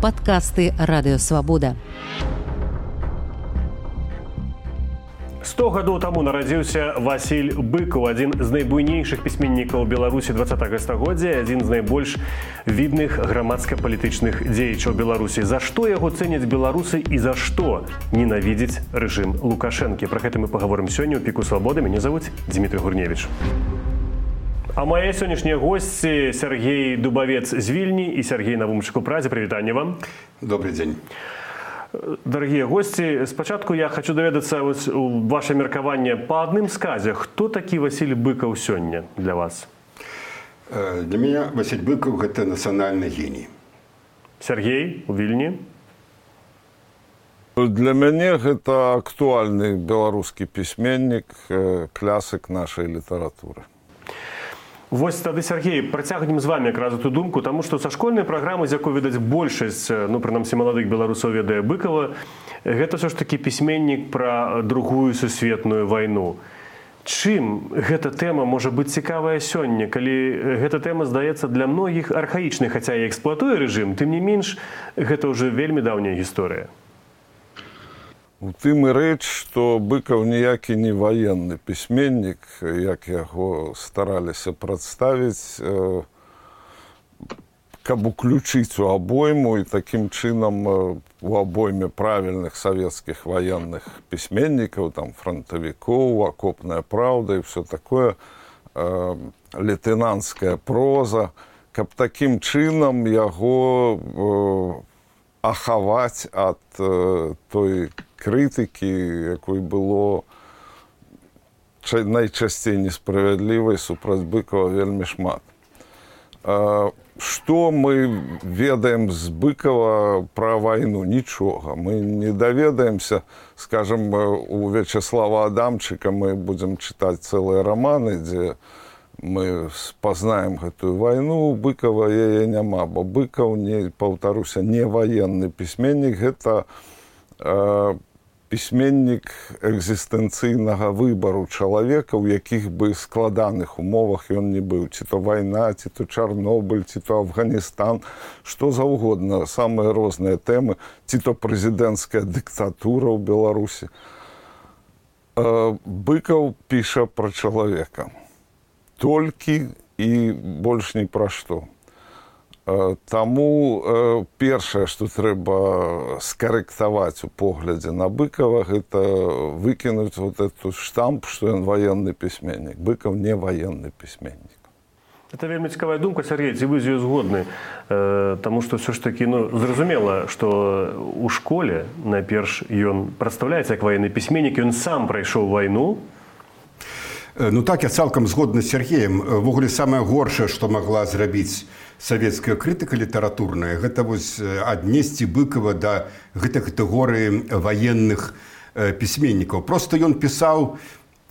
Падкасты Радыёвабода. 100 гадоў таму нарадзіўся Васіль Быкаў, адзін з найбуйнейшых пісьменнікаў Беларусі 20-го стагоддзя, адзін з найбольш відных грамадска-палітычных дзеячаў Беларусі. За што яго цэняць беларусы і за што ненавідзіць рэжым Лукашэнкі? Пра гэта мы паговорым сёння ў Піку Свабоды. Мяне завуць Дмітрый Гурневіч. А мае сённяшнія госці Сергей Дубавец з Вільні і Сергей Навумчык у Прадзе. Прывітанне вам. Добрый дзень. Дарагія госці, спачатку я хочу даведацца ваше меркаванне па адным сказе. Хто такі Васіль Быкаў сёння для вас? Для меня Васіль Быкаў – гэта нацыянальны геній. Сергей у Вільні? Для мяне гэта актуальны беларускі пісьменнік, класык нашай літаратуры. Вось тады, Сергей, працягнем з вами якраз эту думку, таму што са школьнай праграмы, з якой, відаць, большасць, прынамсі, маладых беларусаў ведае Быкава, гэта ўсё ж такі пісьменнік пра Другую сусветную вайну. Чым гэта тэма можа быць цікавая сёння, калі гэта тэма здаецца для многіх архаічнай, хаця і эксплуатуе рэжым, тым не менш, гэта ўжо вельмі даўняя гісторыя. У тым і рэч, што Быкаў ніякі не ваенны пісьменнік, як яго стараліся прадставіць, каб уключыць у абойму і такім чынам у абойме правільных савецкіх ваенных пісьменнікаў, там франтавікоў, акопная праўда і ўсё такое, лейтэнанцкая проза, каб такім чынам яго ахаваць ад той крытыкі, якой было найчасцей несправядлівай супраць Быкава вельмі шмат. Што мы ведаем з Быкава пра вайну? Нічога. Мы не даведаемся, скажем, у Вячеслава Адамчыка мы будзем чытаць цэлыя раманы, дзе мы спазнаем гэтую вайну, у Быкава яе няма, бо Быкаў, паўтаруся, не ваенны пісьменнік, гэта пісьменнік экзістэнцыйнага выбару чалавека, у якіх бы складаных умовах ён не быў. Ці то вайна, ці то Чарнобыль, ці то Афганістан, што заўгодна, самыя розныя тэмы, ці то прэзідэнцкая дыктатура ў Беларусі. Быкаў піша пра чалавека. Толькі і больш ні пра што. Таму першае, што трэба скарэктаваць у поглядзе на Быкава, гэта выкінуць вот эту штамп, што ён ваенны пісьменнік. Быкаў не ваенны пісьменнік. Это вельмі цікавая думка, Сергей, ці вы з ёй згодны? Таму што ўсё ж такі, зразумела, што ў школе найперш ён прадстаўляецца як ваенны пісьменнік, ён сам прайшоў вайну. Ну так, я цалкам згодны з Сергеем. Ввогуле, самае горшае, што магла зрабіць савецкая крытыка літаратурная, гэта вось аднесці Быкава да гэтай катэгорыі ваенных пісьменнікаў. Проста ён пісаў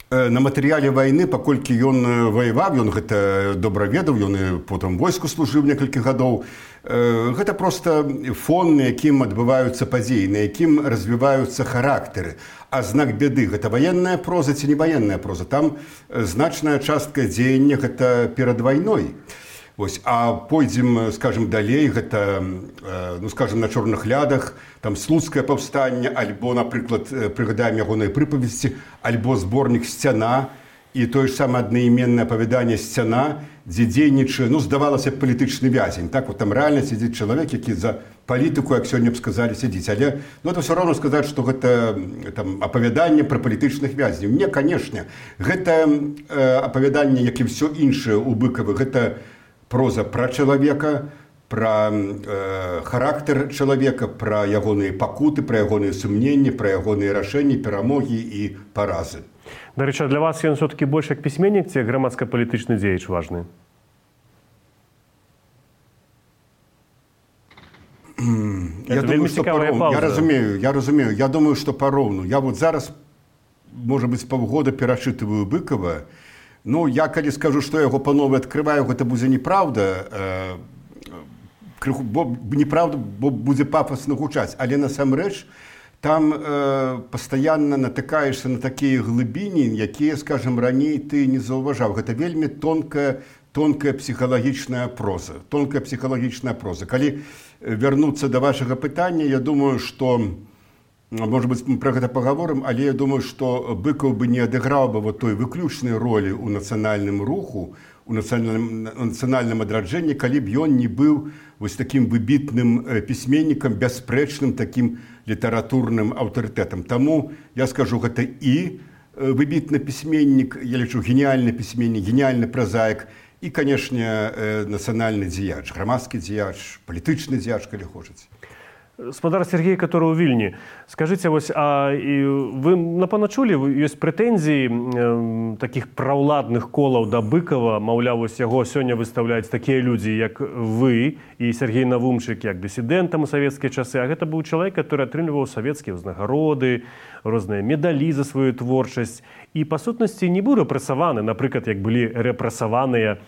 на матэрыяле вайны, паколькі ён ваяваў, ён гэта добра ведаў, ён і потым войску служыў некалькі гадоў. Гэта проста фон, на якім адбываюцца падзеі, на якім развіваюцца характары. А знак бяды – гэта ваенная проза ці не ваенная проза. Там значная частка дзеяння – гэта перад вайной. Вось, а пойдзем, скажем, далей, гэта, скажем, на чорных лядах, там слуцкае паўстанне, альбо, напрыклад, прыгадаем ягоныя прыпавесці, альбо зборнік «Сцяна», і тое ж самае аднайменнае апавяданне «Сцяна», дзе дзейнічае, здавалася б, палітычны вязень. Так, вот там рэальна сядзіць чалавек, які за палітыку, як сёння б сказалі, сядзіць. Але, это ўсё роўна сказаць, што гэта там апавяданне пра палітычных вязняў. Не, канешне, гэта апавяданне, як і ўсё іншае ў Быкаве, гэта проза пра чалавека, пра характар чалавека, пра ягоныя пакуты, пра ягоныя сумненні, пра ягоныя рашэнні, перамогі і паразы. Дарэчы, для вас ён все-таки больш як пісьменнік ці грамадска-палітычны дзеяч важны? Я думаю, што пароўну. Я разумею. Я думаю, што пароўну. Я вот зараз, можа быць, паўгода перачытываю Быкава. Я калі скажу, што яго па-нове адкрываю, гэта будзе неправда. Неправда, бо будзе пафасна гучаць. Але насамрэч, там пастаянна натыкаешся на такія глыбіні, якія, скажем, раней ты не заўважаў. Гэта вельмі тонкая тонкая псіхалагічная проза. Тонкая псіхалагічная проза. Калі вярнуцца да вашага пытання, я думаю, што, может быть, мы пра гэта пагаворым, але я думаю, што Быкаў бы не адыграў бы вот той выключнай ролі ў нацыянальным руху, у нацыянальным адраджэнні, калі б ён не быў вось такім выбітным пісьменнікам, бясспрэчным такім літаратурным аўтарытэтам. Таму я скажу, гэта і выбітны пісьменнік, я лічу, геніальны пісьменнік, геніальны празаік, і, канешне, нацыянальны дзеяч, грамадскі дзеяч, палітычны дзеяч, калі хочаце. Спадар Сергей, который у Вільні, скажите, вось, а вы напэўна чулі, ёсць прэтэнзіі такіх праўладных колаў да Быкова, маўляў, вось яго сёння выстаўляюць такія людзі, як вы і Сергей Навумчык, як дысідэнтам у савецкія часы, а гэта быў чалавек, который атрымліваў савецкія ўзнагароды, розныя медалі за сваю творчасць, і па сутнасці не быў рэпрэсаваны, напрыклад, як былі рэпрэсаваныя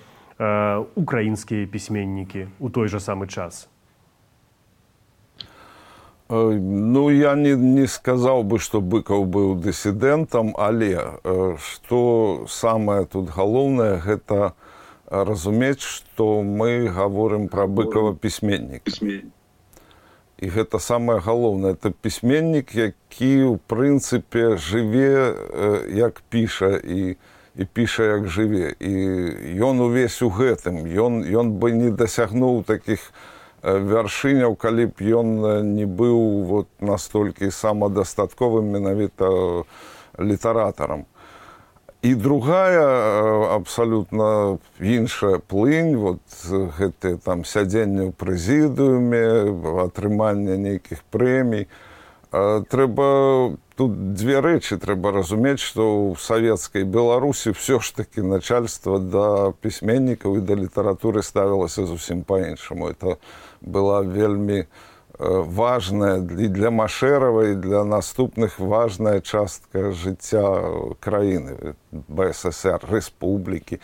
украінскія пісьменнікі ў той жа самы час. Ну, я не сказал бы, что Быков был диссидентом, але что самое тут головное, это разуметь, что мы говорим про Быкова письменник. И это самое головное, это письменник, який, в принципе, живе, як пише, и пише, як живе. И он увесь у гэтым, он бы не досягнул таких вяршыняў, калі б ён не быў вот настолькі самадастатковым менавіта літаратарам. І другая абсалютна іншая плынь, вот гэтыя там сядзенне ў прэзідыуме, атрыманне нейкіх прэмій. Трэба тут две рэчы трэба разумець, што ў савецкай Беларусі ўсё ж такі начальство да пісьменнікаў і да літаратуры ставілася зусім па-іншаму. Это была вельмі важная і для Машэрава, і для наступных важная частка жыцця краіны, БССР, рэспублікі.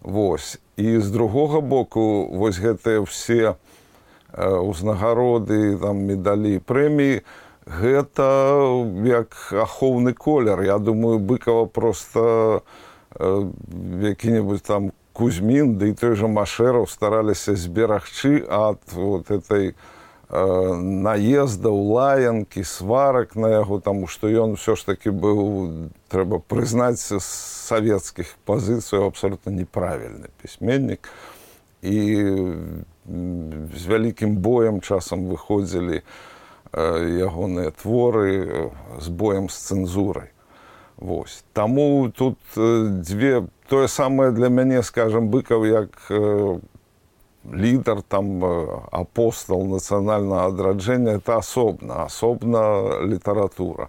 Вось. І з другога боку, вось гэтыя ўсе ўзнагароды, там, медалі, прэміі, гэта як ахоўны колер. Я думаю, Быкова просто які-небудзь там Кузьмін, да і той же Машэраў стараліся зберагчы ад вот этой наездаў, лаянкі, сварак на яго, таму што ён ўсё ж такі быў, трэба прызнаць, з савецкіх пазіцыяў абсалютна неправільны пісьменнік. І з вялікім боем часам выходзілі ягоныя творы з боем з цэнзурай. Вось. Таму тут дзве... Тое самае для мяне, скажем, Быков як лідар, там, апостол нацыянальнага адраджэння, это асобна літаратура.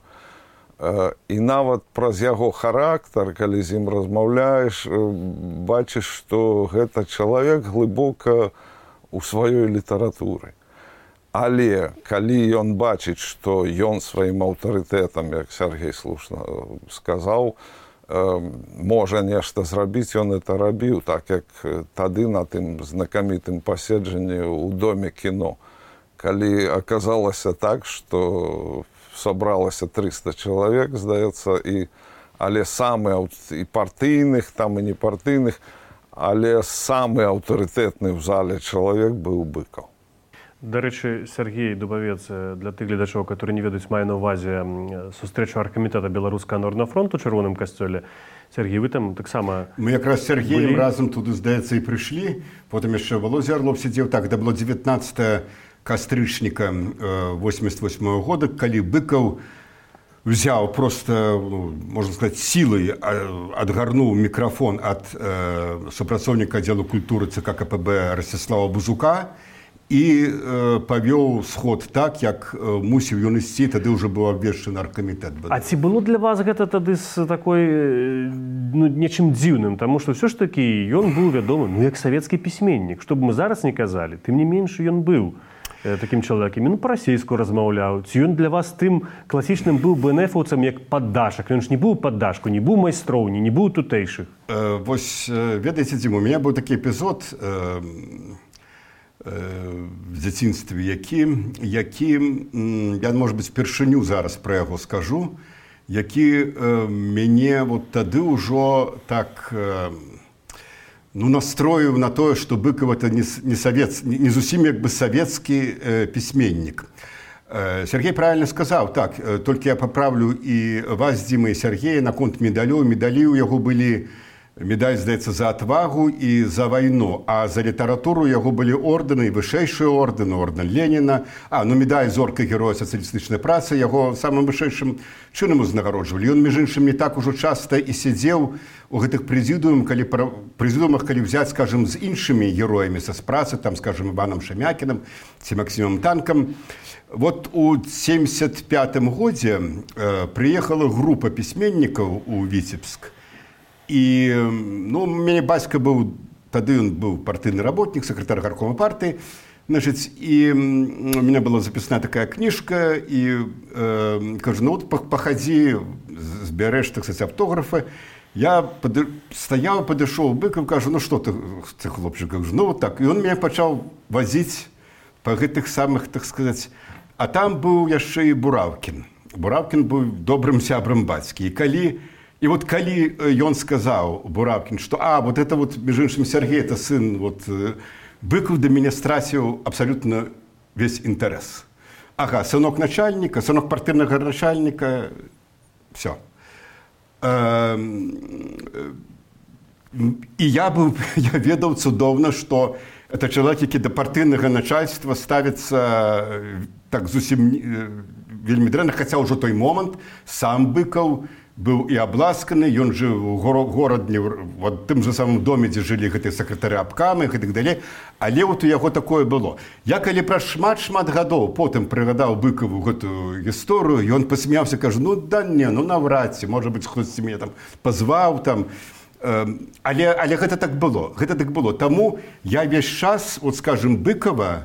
І нават праз яго характар, калі з ім размаўляеш, бачыш, што гэта чалавек глыбока ў сваёй літаратуры. Але калі ён бачыць, што ён сваім аўтарытэтам, як Сергей слушна сказаў, можа нешта зрабіць, ён это рабіў, так як тады на тым знакамітым паседжанні ў Доме кіно. Калі аказалася так, што сабралася 300 чалавек, здаецца, але самы і партыйных, там і непартыйных, але самы аўтарытэтны ў зале чалавек быў Быков. Дарэчы, Сергей Дубавец, для тых гледачоў, которые не ведаюць, мае на ўвазе сустрэчу аргкамітэта Беларускага народнага фронту ў Чырвоным касцёле. Сергей, вы там таксама... Мы якраз з Сергеем разам туды, здаецца, і прыйшлі. Потым яшчэ Володя Орлов сидзеў. Так, это было 19 кастрычніка 88 года, калі Быков взяў просто, можна сказаць, сілай адгарнуў мікрафон ад супрацоўніка аддзелу культуры ЦК КПБ Ростислава Бузука і павёў сход так, як мусіў ён ісці, тады ўжо быў абвешчаны аргкамітэт. А ці было для вас гэта тады з такой, нечым дзіўным? Таму што ўсё ж такі ён быў вядомы, як савецкі пісьменнік. Што б мы зараз не казалі, тым не менш ён быў такім чалавекам. Ён па-расейску размаўляў. Ці ён для вас тым класічным быў БНФаўцам як паддашак? Ён ж не быў паддашку, не быў майстроўні, не быў тутэйшых. Вось, ведаеце, Дзіма, у мяне быў такі эпізод в дзяцінстве, які я, можа быць, першыню зараз пра яго скажу, які мяне вот тады ўжо так настроіў на тое, што Быкаў это не зусім як бы савецкі пісьменнік. Сергей правильно сказаў, так, толькі я паправлю і вас, Дзіма, і Сергея наконт медалёў. Медалі ў яго былі, медаль, здаецца, за отвагу і за вайну, а за літаратуру яго былі ордэны, і вышэйшыя ордэны, ордэн Леніна, медаль зорка героя сацыялістычнай працы, яго самым вышэйшым чынам узнагароджвалі. Ён, між іншым, не так ужо часта і сядзеў у гэтых прэзідыумах, калі взяць, скажем, з іншымі героямі са працы, там, скажем, Іванам Шамякінам ці Максімам Танкам. Вот у 1975 годзе прыехала група пісьменнікаў у Віцебск. І у мяне бацька быў, тады ён быў партыйны работнік, сакратар гаркома партыі, і у меня была запісная такая кніжка, і кажу, пахадзі, збярэш, так сказать, аўтографы. Я стаяў, падышоў Быкаў, кажу, што ты хлопчык, кажу, так. І ён мяне пачаў вазіць па гэтых самых, так сказать. А там быў яшчэ і Бураўкін. Бураўкін быў добрым сябрам бацькі. І вот калі ён сказаў, Бураўкін, што вот это вот, між іншым, Сергей, это сын, вот, Быкаў да мяне страціў абсалютна весь інтарэс. Ага, сынок начальніка, сынок партыйнага начальніка, все. І я ведаў цудоўна, што это чалавек, які да партыйнага начальства ставіцца так зусім вельмі дрэнна, хаця ўжо той момант сам Быкаў быў і абласканы, ён жыў у горадні, в тым же самым доме, дзе жылі гэтыя сакратары абкамы і гэтак далей, але вот у яго такое было. Я калі праз шмат гадоў потым прыгадаў Быкаву гэтую гісторыю, ён пасмяўся, кажа, наврад ці, можа быць, хтосьці мяне там пазваў там. Але гэта так было. Таму я весь час, вот, скажем, Быкава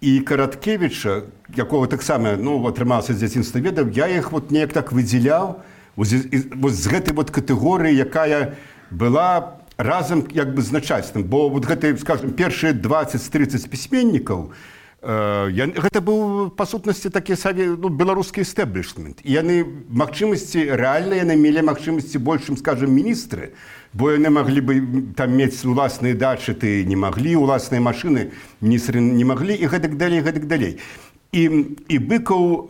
і Караткевіча, якого таксама, атрымаўся з дзяцінства ведаў, я іх вот неяк так выдзяляў з гэтай вот катэгорыі, якая была разам як бы з начальствам. Бо вот гэты, скажем, першыя 20-30 пісьменнікаў, гэта быў, па сутнасці, такі беларускі эстэблішмент. І яны магчымасці, рэальна яны мелі магчымасці большым, скажем, міністры, бо яны маглі бы там мець уласныя дачы, ты не маглі, уласныя машыны міністры не маглі, і гэтак далей. І Быкаў,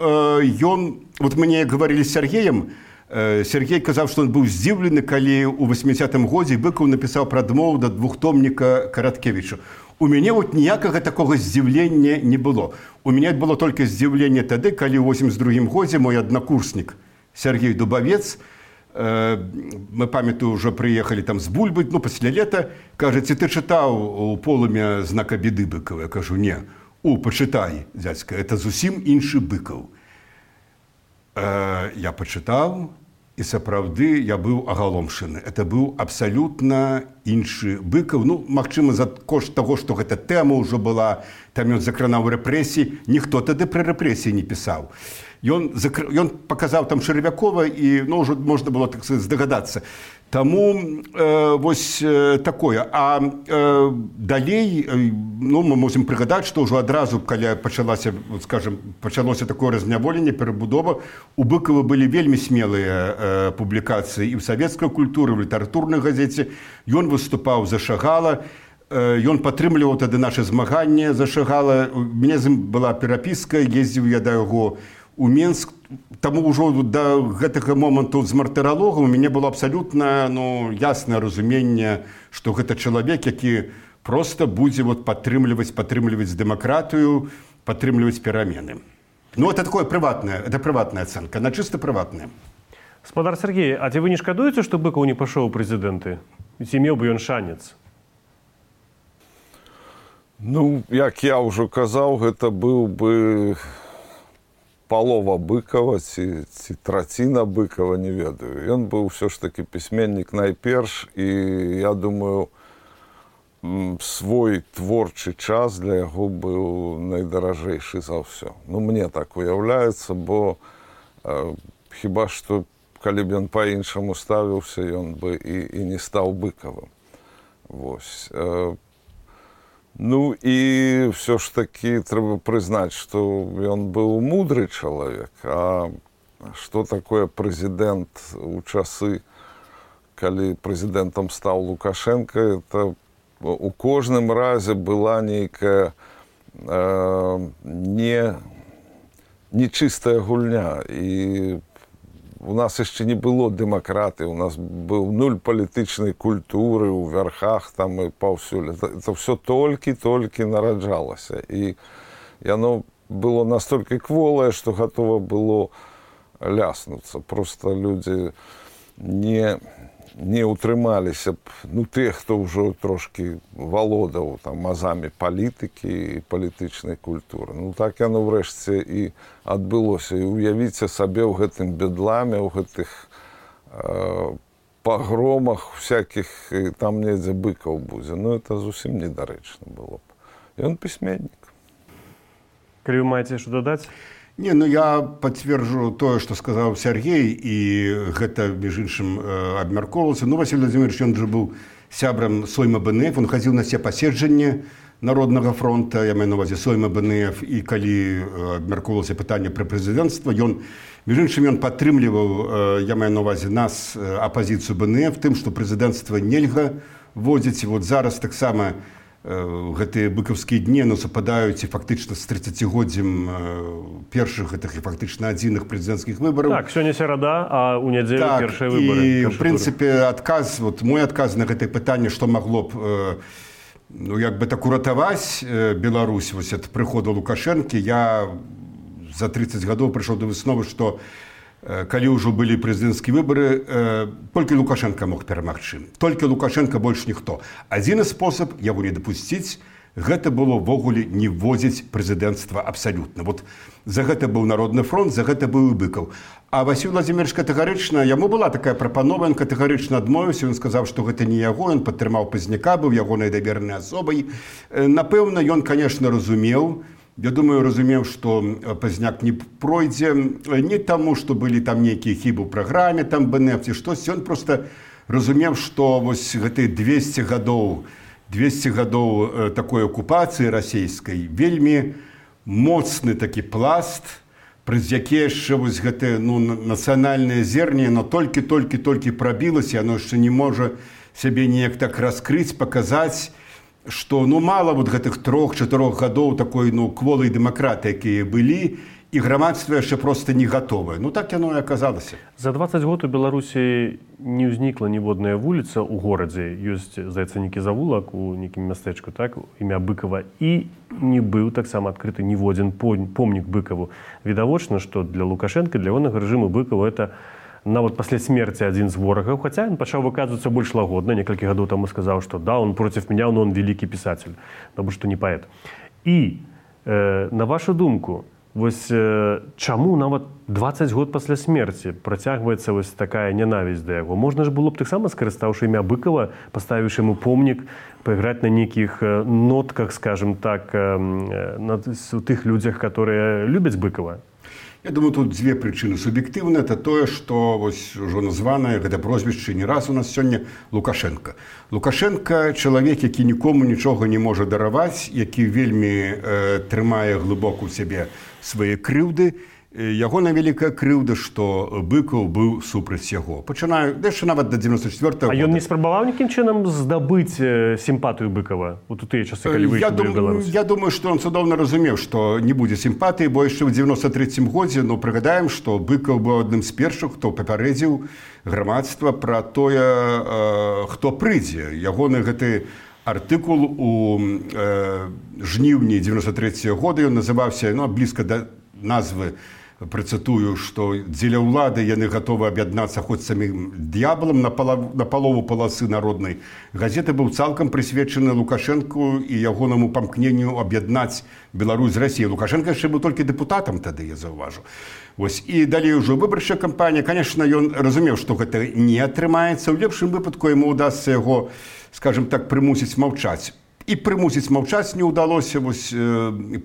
ён, вот мы неяк гаварылі з Сергеем, Сергей казаў, што ён быў здзіўлены, калі ў 80-м годзе Быкаў напісаў прадмову да двухтомніка Караткевіча. У мяне вот ніякага такога здзіўлення не было. У мяне было толькі здзіўленне тады, калі ў 82-м годзе мой аднакурснік Сергей Дубавец, мы, памятаю, ўжо прыехалі там з Бульбы, пасля лета, кажа, ці ты чытаў у полымя знака беды Быкава? Я кажу, не. Пачытай, дзядзька, это зусім іншы Быкаў. Я пачытаў, і сапраўды я быў агаломшаны. Это быў абсалютна іншы Быкаў. Магчыма, за кошт таго, што гэта тэма ўжо была, там ён закранаў рэпрэсіі, ніхто тады пра рэпрэсіі не пісаў. Ён паказаў там Чарвякова, і ўжо можна было, так сказаць, здагадацца. Таму вось такое. А далей, мы можем прыгадаць, што ўжо адразу, калі пачалося такое разняволенне, перабудова, у Быкава былі вельмі смелыя публікацыі і ў савецкай культуры, в літаратурнай газеце. Ён выступаў за Шагала, ён падтрымліваў тады наша змаганне за Шагала. У мяне з ім была перапіска, ездзіў я да яго у Менск. Таму ўжо да гэтага моманту з мартыралогам у мяне было абсалютна яснае разуменне, што гэта чалавек, які проста будзе падтрымліваць дэмакратыю, падтрымліваць перамены. Это такое прыватная ацэнка, она чыста прыватная. Спадар Сергей, а ці вы не шкадуеце, што Быкаў не пайшоў у прэзідэнты? Ці меў бы ён шанец? Як я ўжо казаў, гэта быў бы палова Быкава ці траціна Быкава, не ведаю. Ён быў ўсё ж такі пісьменнік найперш, і я думаю, свой творчы час для яго быў найдаражэйшы за ўсё. Мне так уяўляецца, бо хіба што, калі б ён па-іншаму ставіўся, ён бы і не стаў Быкавым. Вось. І все ж таки трэба прызнаць, што ён быў мудры чалавек. А што такое прэзідэнт у часы, калі прэзідэнтам стаў Лукашенко, это у кожным разе была нейкая нечыстая гульня. І у нас яшчэ не было дэмакратыі, у нас быў нуль палітычнай культуры ў вярхах там і паўсюль. Это ўсё толькі нараджалася. І яно было настолькі кволае, што гатова было ляснуцца. Просто людзі не утрымаліся б, тыя, хто ўжо трошкі валодаў там азамі палітыкі і палітычнай культуры. Так яно ўрэшце і адбылося. І уявіце сабе ў гэтым бедламе, ў гэтых пагромах всякіх, там недзе быкаў будзе. Это зусім недарэчна было б. Ён пісьменнік. Калі вы маеце што дадаць? Не, я подтвержу тое, што сказаў Сергей, і гэта, між іншым, абмяркоўвалася. Василий Владимирович, ён же быў сябрам Сойма БНФ, он хадзіў на все паседжанні Народнага фронта, я маю на ўвазе Сойма БНФ, і калі абмяркоўвалася пытанне пра прэзідэнцтва, між іншым, ён падтрымліваў, я маю на ўвазе нас, апазіцыю БНФ, тым, што прэзідэнцтва нельга вводзіць. Зараз таксама гэтыя быкаўскія дні супадаюць і фактычна з 30годдзям першых гэтых і фактычна адзіных прэзідэнцкіх выбараў. Так, сёння серада, а ў нядзелю першыя выбары. І, в прынцыпе, мой адказ на гэтае пытанне, што магло б так уратаваць Беларусь ад прыходу Лукашэнкі, я за 30 гадоў прыйшоў да высновы, што калі ўжо былі прэзідэнцкія выбары, толькі Лукашенко мог перамагчы. Толькі Лукашенко больш ніхто. Адзіны спосаб яго не дапусціць, гэта было ввогуле не вводзіць прэзідэнцтва абсалютна. За гэта быў Народны фронт, за гэта быў і Быкаў. А Василий Владимирович катэгарычна, яму была такая прапанова, ён катэгарычна адмовіўся, ён сказаў, што гэта не яго, ён падтрымаў Пазняка, быў ягонай давернай асобай. Напэўна, ён, конечно, разумеў, я думаю, разумеў, што Пазняк не пройдзе не таму, што былі там нейкія хібы ў праграме, там БНФ ці штосьці. Ён проста разумеў, што вось гэтыя 200 гадоў такой акупацыі расійскай вельмі моцны такі пласт, праз які яшчэ вось гэтае нацыянальнае зерне, но толькі прабілася, яно яшчэ не можа сябе неяк так раскрыць, паказаць, што мала гэтых 3-4 гадоў такой кволай дэмакратыі, якія былі, і грамадства яшчэ проста не гатовае. Так яно і аказалася. За 20 год у Беларусі не ўзнікла ніводная вуліца ў горадзе. Ёсць, здаецца, нейкі завулак у нейкім мястэчку, так, імя Быкова, і не быў таксама адкрыты ніводзін помнік Быкаву. Відавочна, што для Лукашэнка, для ягонага рэжыму Быкова это нават пасля смерці адзін з ворагаў, хаця ён пачаў выказвацца больш лагодна, некалькі гадоў таму сказаў, што да, он против меня, но он великий писатель, потому что не паэт. І, на вашу думку, вось чаму нават 20 год пасля смерці працягваецца вось такая нянавісць да яго? Можна ж было б таксама, скарыстаўшы імя Быкова, паставіўшы яму помнік, пайграць на нейкіх нотках, скажем так, у тых людзях, которые любяць Быкова? Я думаю, тут дзве прычыны суб'ектыўныя. Это тое, што ужо названае гэта прозвішча не раз у нас сёння Лукашенко. Лукашенко чалавек, які нікому нічога не можа дараваць, які вельмі трымае глыбока ў сябе свае крыўды. Ягоная вялікая крыўда, што Быкаў быў супраць яго. Пачынаю яшчэ нават да 94-го года. А ён не спрабаваў нейкім чынам здабыць сімпатыю Быкава у тыя часы, калі выйшаў у Беларусь? Я думаю, што ён цудоўна разумеў, што не будзе сімпатыі, бо яшчэ ў 93-м годзе, прыгадаем, што Быкаў быў адным з першых, хто папярэдзіў грамадства пра тое, хто прыйдзе. Ягоны гэты артыкул у жніўні 93-го года, ён называўся блізка да назвы, працытую, што дзеля ўлады яны гатовы аб'яднацца хоць самім д'ябалам. На палову паласы народнай газеты быў цалкам прысвечаны Лукашэнку і ягонаму памкненню аб'яднаць Беларусь з Расіяй. Лукашенко яшчэ быў толькі дэпутатам тады, я заўважу. І далей ужо выбарчая кампанія. Канешне, ён разумеў, што гэта не атрымаецца. У лепшым выпадку яму ўдасца яго, скажем так, прымусіць маўчаць. І прымусіць маўчаць не ўдалося,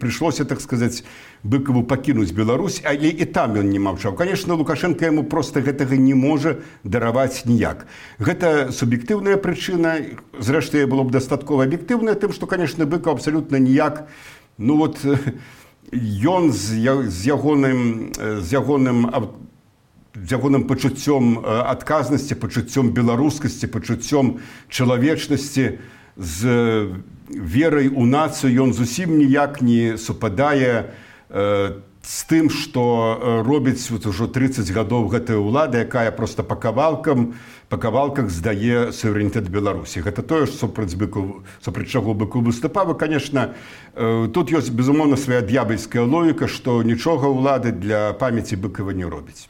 прыйшлося, так сказаць, Быкаву пакінуць Беларусь, але і там ён не маўчаў. Канешне, Лукашенко яму проста гэтага не можа дараваць ніяк. Гэта суб'ектыўная прычына, зрэшты, было б дастаткова аб'ектыўная, тым, што, канешне, Быкаў абсалютна ніяк, ён з ягоным пачуццём адказнасці, пачуццём беларускасці, пачуццём чалавечнасці з верай у нацыю ён зусім ніяк не супадае з тым, што робіць ужо 30 гадоў гэтая ўлада, якая проста па кавалках здае суверэнітэт Беларусі. Гэта тое, супраць чаго Быкоў выступаў. І, канешне, тут ёсць, безумоўна, свая д'ябальская логіка, што нічога ўлады для памяці Быкова не робіць.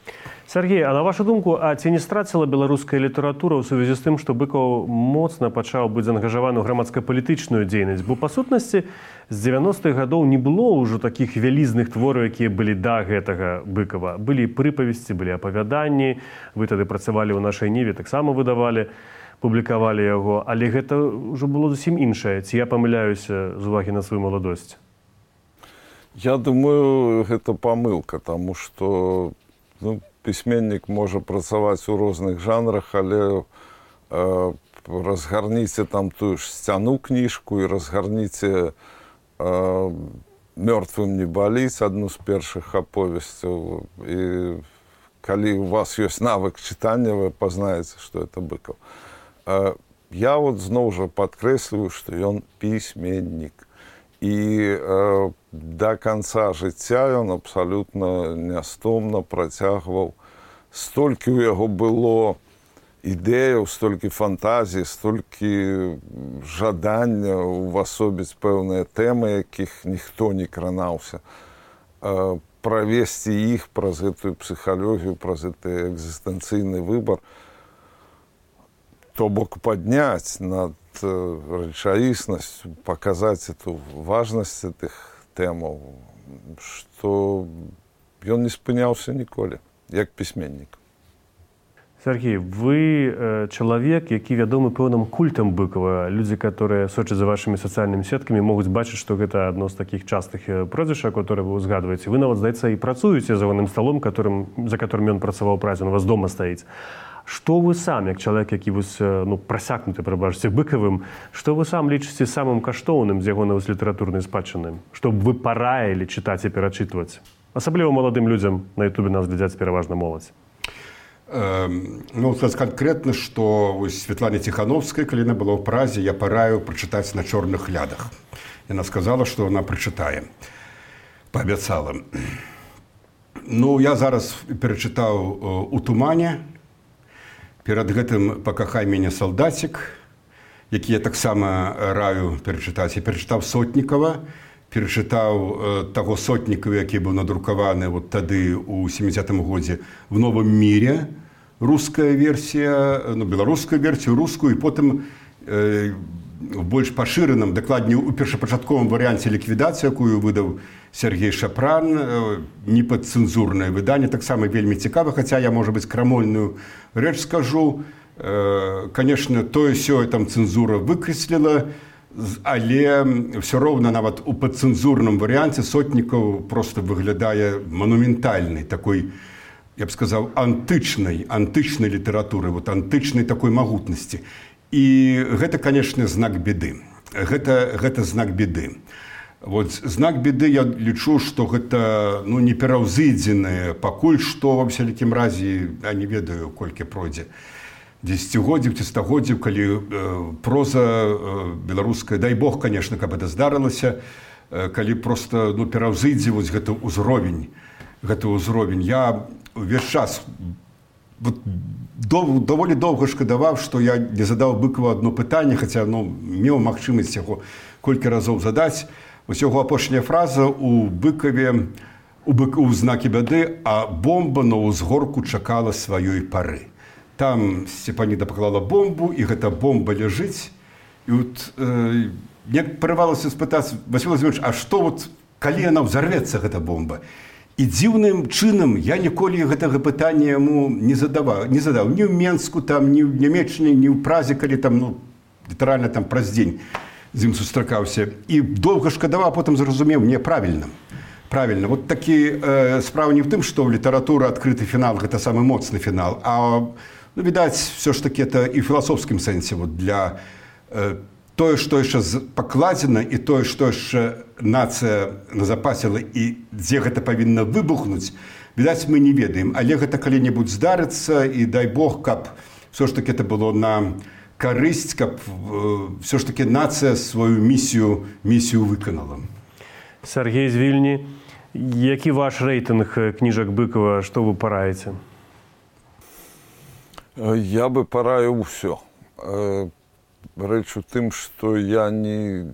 Сергей, а на вашу думку, а ці не страціла беларуская літаратура ў сувязі з тым, што Быкаў моцна пачаў быць заангажаваны ў грамадска-палітычную дзейнасць? Бо, па сутнасці, з 90-х гадоў не было ўжо такіх вялізных твораў, якія былі да гэтага Быкова. Былі прыпавесці, былі апавяданні, вы тады працавалі ў нашай Ніве, таксама выдавалі, публікавалі яго, але гэта ўжо было зусім іншае. Ці я памыляюся з увагі на сваю маладосць? Я думаю, гэта памылка, таму што пісьменнік можа працаваць у розных жанрах, але разгарніце там тую ж сцяну кніжку і разгарніце «Мёртвым не баліць», адну з першых аповесцяў. І калі у вас ёсць навык чытання, вы пазнаеце, што это Быкаў. Я зноў жа падкрэсліваю, што ён пісьменнік. І да канца жыцця ён абсалютна нястомна працягваў. Столькі ў яго было ідэяў, столькі фантазій, столькі жадання увасобіць пэўныя тэмы, якіх ніхто не кранаўся. Правесці іх праз гэтую псіхалогію, праз гэты экзістэнцыйны выбар, то бок падняць над рэчаіснасць, паказаць эту важнасць гэтых тэмаў, што ён не спыняўся ніколі, як пісьменнік. Сергей, вы чалавек, які вядомы пэўным культам Быкова. Людзі, которые сочаць за вашымі сацыяльнымі сеткамі, могуць бачыць, што гэта адно з такіх частых прозвішчаў, которые вы узгадваеце. Вы нават, здаецца, і працуеце за ягоным сталом, за которым ён працаваў празе, у вас дома стаіць. Што вы сам, як чалавек, які прасякнуты, прабачце, Быкавым, што вы сам лічыце самым каштоўным з ягонай літаратурнай спадчыны? Што б вы параілі чытаць і перачытваць? Асабліва маладым людзям, на Ютубе нас глядзяць пераважна моладзь. Сказаць канкрэтна, што Светлане Ціхановскай, калі яна была ў празе, я параю прачытаць «На чорных лядах». Яна сказала, што яна прачытае. Паабяцала. Я зараз перачытаў «У тумане». Перад гэтым «Пакахай мяне, салдацік», які я таксама раю перачытаць. Я перачытаў Сотнікава, перачытаў таго Сотнікава, які быў надрукаваны тады ў 70-м годзе в «Новым міре», руская версія, беларускую версію, рускую, і потым в больш пашыраным, дакладней у першапачатковым варыянце ліквідацыі, якую выдаў Сергей Шапран, непадцэнзурнае выданне, таксама вельмі цікава, хаця я, можа быць, крамольную рэч скажу. Канешне, тое-сёе там цэнзура выкрэсліла, але ўсё роўна нават у падцэнзурным варыянце Сотнікаў проста выглядае манументальнай, такой, я б сказаў, антычнай літаратуры, антычнай такой магутнасці. І гэта, канешне, знак беды. Гэта знак беды. Знак беды, я лічу, што гэта не пераўзыдзенае пакуль што, ва ўсялякім разе, я не ведаю, колькі пройдзе, дзесяцігоддзяў ці стагоддзяў, калі проза беларуская, дай Бог, канешне, каб гэта здарылася, калі проста пераўзыдзе гэты ўзровень. Я увесь час даволі доўга шкадаваў, што я не задаў Быкаву адно пытанне, хаця меў магчымасць яго колькі разоў задаць. Яго апошняя фраза у Быкаве, у знакі бяды, а бомба на ўзгорку чакала сваёй пары. Там Сцепаніда паклала бомбу, і гэта бомба ляжыць. І мне прырвалася спытаць: Васіль Владимирович, а што калі яна ўзарвецца, гэта бомба? І дзіўным чынам я ніколі гэтага пытання яму не задаў. Ні ў Менску, ні ў Нямеччыне, ні ў Празе, калі там, літаральна там праз дзень з ім сустракаўся. І доўга шкадаваў, а потым зразумеў, не, правільна. Такі справа не ў тым, што ў літаратуры адкрыты фінал, гэта самы моцны фінал, а, відаць, все ж такі это і ў філасофскім сэнсе для тое, што яшчэ пакладзена, і тое, што яшчэ нацыя назапасіла, і дзе гэта павінна выбухнуць, відаць, мы не ведаем. Але гэта калі-небудзь здарыцца, і дай Бог, каб все ж такі это было на карысць, каб все ж таки нацыя сваю місію выканала. Сергей з Вільні, які ваш рэйтынг кніжак Быкова, што вы параеце? Я бы параіў усё. Рэч у тым, што я не...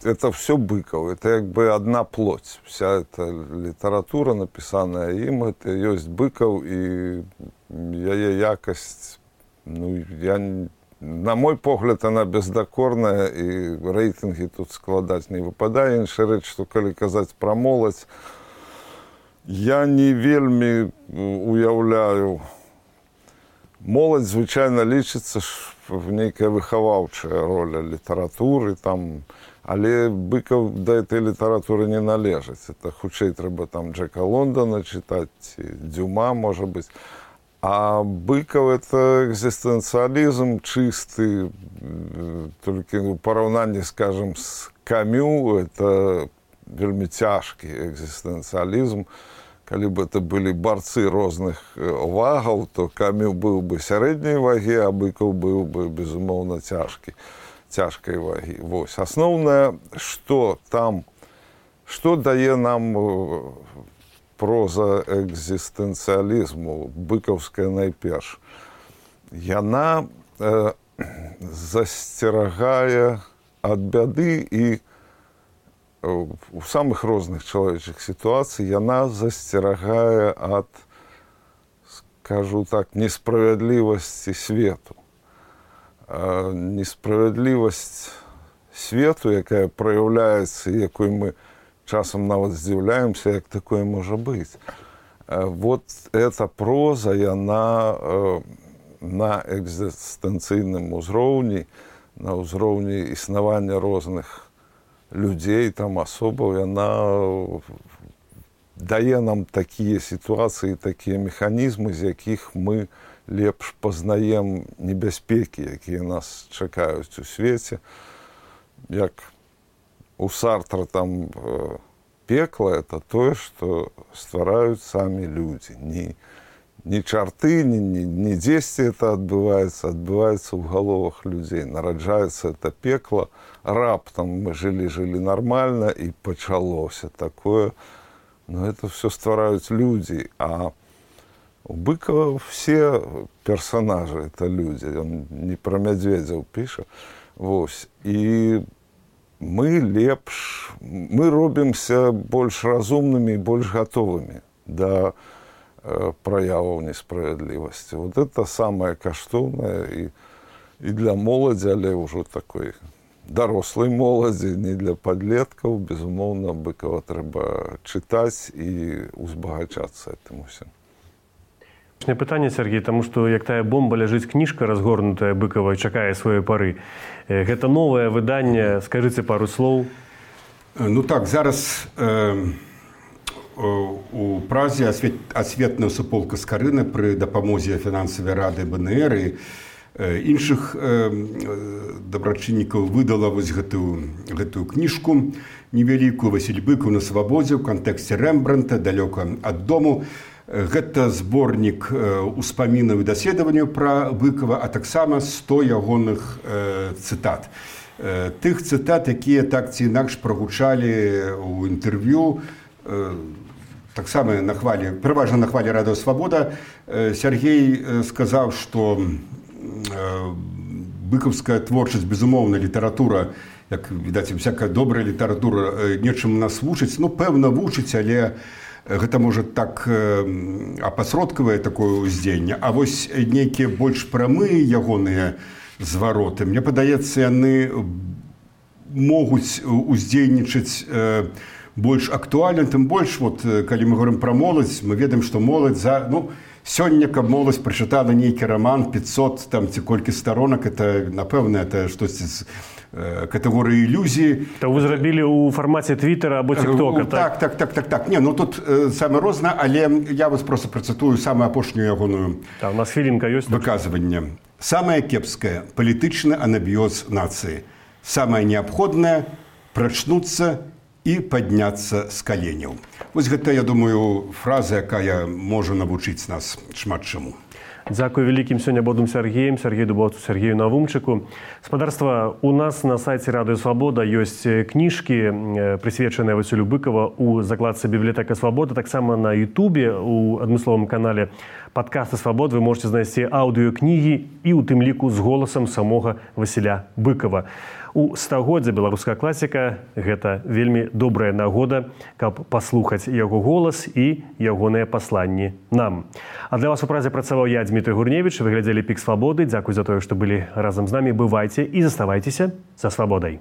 Это все Быков, это як бы одна плоть. Вся эта літаратура, напісаная ім, это ёсць Быков, і яе якасць, ну, на мой погляд, она бездакорная, і рэйтынгі тут складаць не выпадае. Інша рэч, што калі казаць пра моладзь, я не вельмі уяўляю. Моладзь звычайна лічыцца в нейкая выхаваўчая роля літаратуры, там, але Быков да этой літаратуры не належыць. Это хутчэй трэба там Джека Лондона чытаць, Дюма, можа быць. А Быков — это экзистенциализм чистый, только в параўнанні, скажем, с Камю, это вельмі цяжкі экзистенциализм. Калі бы это были борцы розных вагаў, то Камю быў бы сярэдняй вагі, а Быков быў бы, безумоўна, цяжкай вагі. Вось. Асноўнае, што там, што дае нам проза экзістэнцыялізму, быкаўская найперш. Яна засцерагае ад бяды, і у самых розных чалавечых сітуацый яна засцерагае ад, скажу так, несправядлівасці свету. Несправядлівасць свету, якая праяўляецца, якой мы часам нават здзіўляемся, як такое можа быць. Вот эта проза, яна на экзістэнцыйным узроўні, на ўзроўні існавання розных людзей, там асобаў, яна дае нам такія сітуацыі, такія механізмы, з якіх мы лепш пазнаем небяспекі, якія нас чакаюць у свеце. Як у Сартра там пекла — это тое, што ствараюць самі людзі. Не чарты, не дзесьці это адбываецца ў галовах людзей. Нараджаецца это пекла, раптам мы жылі нармальна, і пачалося такое. Но это все ствараюць людзі. А у Быкова все персонажы — это люди. Он не про мядзведзяў піша. Вось. І мы робімся больш разумнымі і больш гатовымі да праяваў несправядлівасці. Вот это самае каштоўнае і для моладзі, але ўжо такой дарослай моладзі, не для падлеткаў. Безумоўна, Быкова трэба чытаць і узбагачацца этым усім. Пытанне, Сергей, таму што як тая бомба ляжыць кніжка, разгорнутая Быкова, і чакае сваёй пары. Гэта новае выданне, скажыце пару слоў. Ну так, зараз у Празе асветная суполка Скарына пры дапамозе фінансавай рады БНР і іншых дабрачыннікаў выдала вось гэтую кніжку невялікую. Васіль Быкаў на свабодзе ў кантэксце Рэмбранта, далёка ад дому. Гэта зборнік успамінаў і даследаванняў пра Быкова, а таксама 100 ягоных цытат. Тых цытат, якія так ці інакш прагучалі ў інтэрв'ю, таксама пераважна на хвалі радыё «Свабода». Сергей сказаў, што быкаўская творчасць, безумоўна, літаратура, як відаць, всякая добрая літаратура нечым нас вучыць, ну, пэўна, вучыць, але гэта, можа, так апасродкавае такое ўздзеянне. А вось нейкія больш прамыя ягоныя звароты, мне падаецца, яны могуць уздзейнічаць больш актуальна, тым больш, вот, калі мы говорим пра моладзь, мы ведаем, што моладзь сёння, каб моладзь прачытала нейкі раман 500 там ці колькі старонак, это, напэўна, это штосьці з катэгорыі ілюзіі. То вы зрабілі ў фармаце Твіттера або Тіктока, так? Так. Не, ну тут саме розна, але я вас просто працытую самую апошнюю ягоную у нас хвілінка ёсць выказванне. Самае кепскае — палітычны анабіёз нацыі. Самае неабходнае — прачнуцца і падняцца з каленяў. Вось гэта, я думаю, фраза, якая можа навучыць нас шмат чаму. Дзякуй вялікім сёння бодум Сергеем, Сергею Дубоўцу, Сергею Навумчыку. Спадарства, у нас на сайце Радыё Свабода ёсць кніжкі, прысвечаныя Васілю Быкова у закладцы «Бібліятэка Свабода». Таксама на Ютубе, у адмысловым канале «Падкасты Свабод» вы можете знайсці аўдыёкнігі і ў тым ліку з голасам самога Васіля Быкова. У стагоддзя беларуская класіка – гэта вельмі добрая нагода, каб паслухаць яго голас і ягоныя пасланні нам. А для вас у празе працаваў я, Дмітрий Гурневіч. Вы глядзелі «Пік Свабоды». Дзякуй за тое, што былі разам з намі. Бывайце і заставайцеся за свабодай.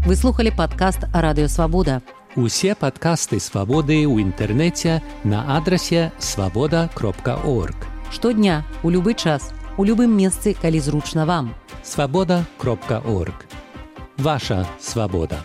Вы слухали падкаст «Радыё Свабода». Усе падкасты Свабоды ў інтэрнэце на адрасе swaboda.org. Штодня, у любы час, у любым месцы, калі зручна вам. swaboda.org. Ваша свабода.